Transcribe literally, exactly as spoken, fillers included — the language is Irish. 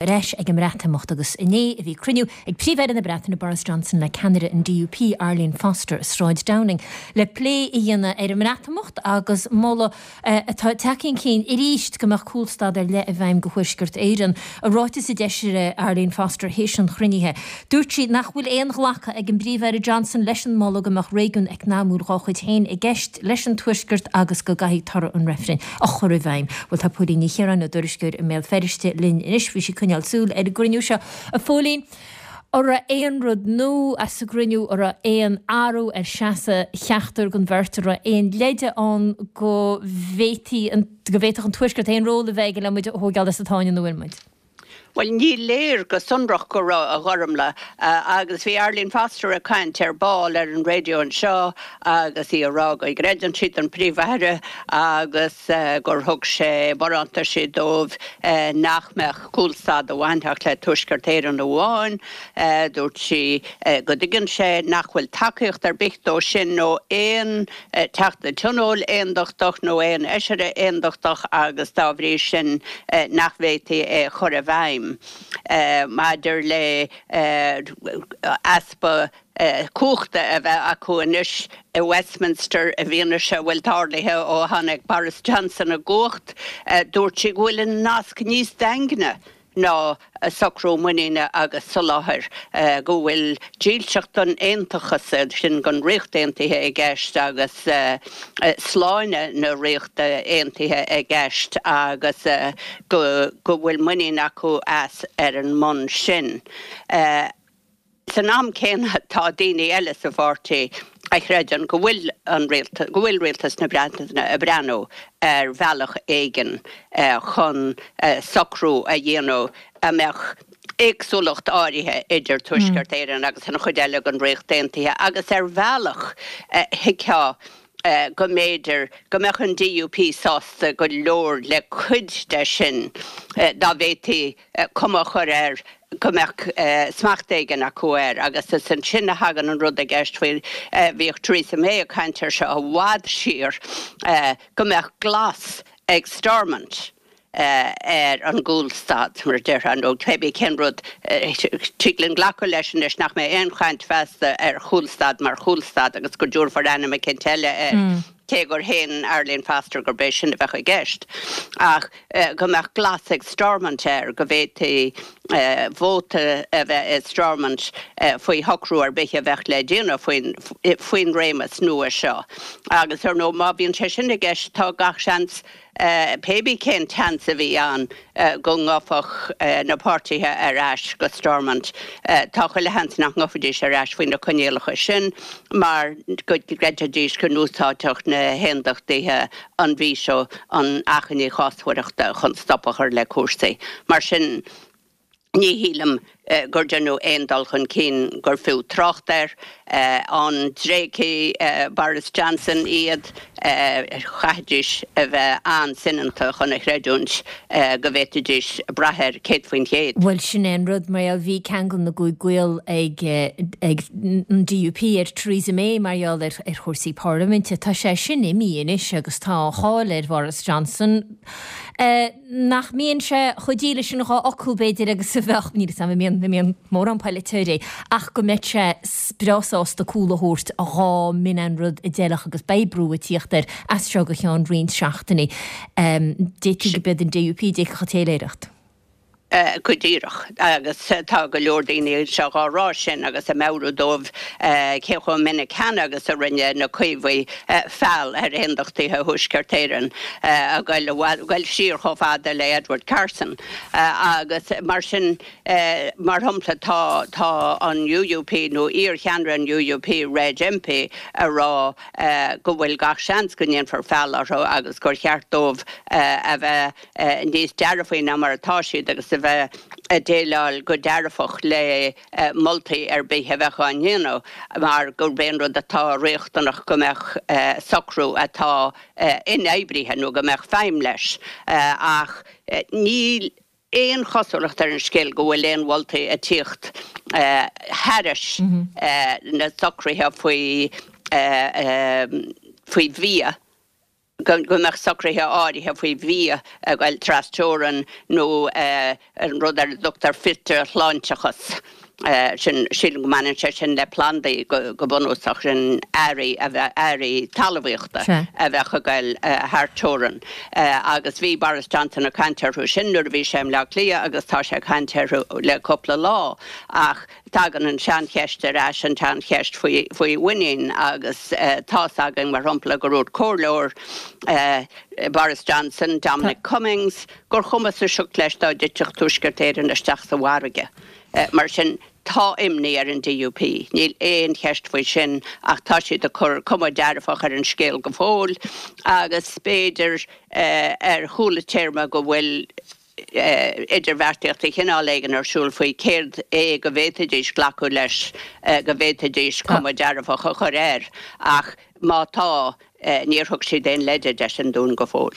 Ar ais ag an mBreatimeacht agus inné a bhí cruinniú ag Príomh-Aire na Breataine Boris Johnson le ceannaire an D U P Arlene Foster i Sráid Downing le plé a dhéanamh ar an mBreatimeacht agus moladh atá tagtha chun cinn arís go mbeadh cúlstad ar leith i bhfeidhm do Thuaisceart Éireann. I ráiteas a d'eisigh Arlene Foster théis an chruinnithe, dúirt sí nach bhfuil aon ghlacadh ag an bPríomh-Aire Johnson leis an moladh go mbeadh réigiún eacnamúil dá chuid féin i gceist leis an Tuaisceart agus go gcaithfidh toradh an reifrinn a chur i bhfeidhm. Bhuel, tá Póilín Ní Chiaráin, ár dtuairisceoir i mBéal Feirste, linn anois. Bhí sí ag coinneáil súil ar an gcruinniú seo. A Phóilín, an raibh aon rud nua as an gcruinniú, an raibh aon athrú ar seasamh cheachtar den bheirt, an raibh aon leide ann go bhféadfaí an go bhféadfadh an Tuaisceart aon ról a bheith aige le muid a thógáil as an tsáinn ina bhfuil muid? Bhuel, ní léir go sonrach go raibh, a Ghormlaith, agus bhí Arlene Foster ag caint ar ball ar an raidió anseo agus í ag rá go gcreideann sí don Phríomh-Aire agus gur thug sé barántaisí dóibh nach mbeadh cúlstad a bhainfeadh le Tuaisceart Éireann amháin. Dúirt sí go dtuigeann sé nach bhfuil tacaíocht ar bith dó sin ó aon Teachta Tionóil aondachtach nó aon fheisire aondachtach agus dá bhrí sin nach bhféadfaí é a chur i bhfeidhm. Maidir le easpa cumhachta a bheith acu anois i Westminster i bhfianaise a bhfuil tarlaithe ó tháinig Boris Johnson i gcumhacht, dúirt sí go bhfuil an nasc níos daingne ná socrú muiníne agus soláthair, go bhfuil dílseacht don aontachas, sin don Ríocht Aontaithe i gceist agus sláine na Ríochta Aontaithe i gceist agus go bhfuil muinín acu as ar an mbonn sin. San am céanna, tá daoine eile sa pháirtí a chreideann go bhfuil an go bhfuil rialtas na Breataine ag breathnú ar bhealach éigin chun socrú a dhéanamh a mbeadh éagsúlacht áirithe idir Tuaisceart Éireann agus an chuid eile den Ríocht Aontaithe agus ar bhealach thuigfeá go mb'fhéidir go mbeadh an D U P sásta go leor le cuid de sin dá bhféadfaí cuma a chur air go mbeadh smacht éigin acu air. Agus is ansin a thagann an rud i gceist faoi, bhíodh Theresa May ag caint air seo i bhfad siar, go mbeadh glas ag Stormont ar an gcúlstad, mar a déarfá, nó cébí cén rud. Tig linn glacadh leis anois nach mbeidh aon chaint feasta ar chúlstad mar chúlstad agus go dtabharfar ainm eicínt eile air, cé gur shéan Arlene Foster gurb é sin a bheadh i gceist, ach go mbeadh glas ag Stormont air, go bhféadfaí vóta a bheith i Stormont faoi shocrú ar bith a bheadh le déanamh faoin faoin réimeas nua seo. Agus ar ndóigh, má bhíonn sé sin i gceist, tá gach seans, pébí cén tseans a bhí ann go ngabhfadh na páirtithe ar ais go Stormont, tá chuile sheans nach ngabhfaidís ar ais faoi na coinníollacha sin mar go gcreidfidís go n-úsáidfeadh na haondachtaithe an veto, an achainí chásmhaireachta, chun stop a chur le cúrsaí. Mar sin, ní shílim gur deineadh aon dul chun cinn gur fiú trácht air. An dtréigfidh Boris Johnson iad? Chaithfidís a bheith an-soineanta chun a chreidiúint go bhféadfaidís brath air céad faoin chéad. Bhuel, sin é an rud, mar gheall, bhí ceangal na gcúig gcaol ag ag an D U P ar Theresa May mar gheall ar ar chúrsaí parlaiminte. Tá sé sin imithe anois agus tá an cháil ar Boris Johnson nach mbíonn sé chomh dílis sin dhá fhocal, b'fhéidir, agus a bheadh, níl a fhios agam an mbíonn, an mbíonn mórán polaiteoirí, ach go mbeadh sé breá sásta cúl a thabhairt dhá mb'in an rud a d'fheilfeadh agus beidh brú ag tíocht air as seo go ceann roinnt seachtainí. D'fhéadfaí gurb iad an D U P a d'fhéadfadh an téiléireacht. Go díreach. Agus tá go leor daoine anseo dhá rá sin agus ag meabhrú dóibh cé chomh minic cheana agus a rinne na Caomhaigh feall ar Aondachtaithe Thuaisceart Éireann, ag goil siar chomh fada le Edward Carson. Agus mar sin, mar shampla, tá tá an U U P, nó iar-cheannaire an U U P, Reg Empey, ag rá go bhfuil gach seans go ndéanfar feall orthu agus gur cheart dóibh a bheith níos dearfaí ná mar atá siad agus a bheith ag déileáil go dearfach le moltaí ar bith a bheadh á ndéanamh mar gurb é an rud atá riachtanach go mbeadh socrú atá inoibrithe nó go mbeadh feidhm leis. Ach níl aon chosúlacht ar an scéal go bhfuil aon mholtaí ag tíocht thairis na socruithe faoi faoi bhia. go mbeadh socruithe áirithe faoi bhia ag goil trasteorann nó an rud ar a dtugtar fiteashláinteachas. Sin, sílim go mbaineann sé sin le plandaí go bunúsach, sin earraí a bheadh, earraí talmhaíochta a bheadh ag goil thar teorainn. Agus bhí Boris Johnson ag caint orthu sin nuair a bhí sé i mBleá Cliath agus tá sé ag caint orthu le cúpla lá. Ach tagann an tseancheist ar ais, an tseancheist faoi, faoi mhuinín agus tá's againn, mar shampla, gur dhúirt comhairleoir Boris Johnson, Dominic Cummings, gur chuma sa sioc leis dá dtitfeadh Tuaisceart Éireann isteach sa bhfarraige. Mar sin, tá imní ar an DUP, níl aon cheist faoi sin, ach tá siad ag cur cuma dearfach ar an scéal go fóill agus b'fhéidir ar chúla téarma go bhfuil idirbheartaíocht de chineál éigin ar siúl faoi céard é go bhféadfaidís glacadh leis, go bhféadfaidís cuma dearfach a chur air. Ach má tá, níor thug siad aon leide de sin dúinn go fóill.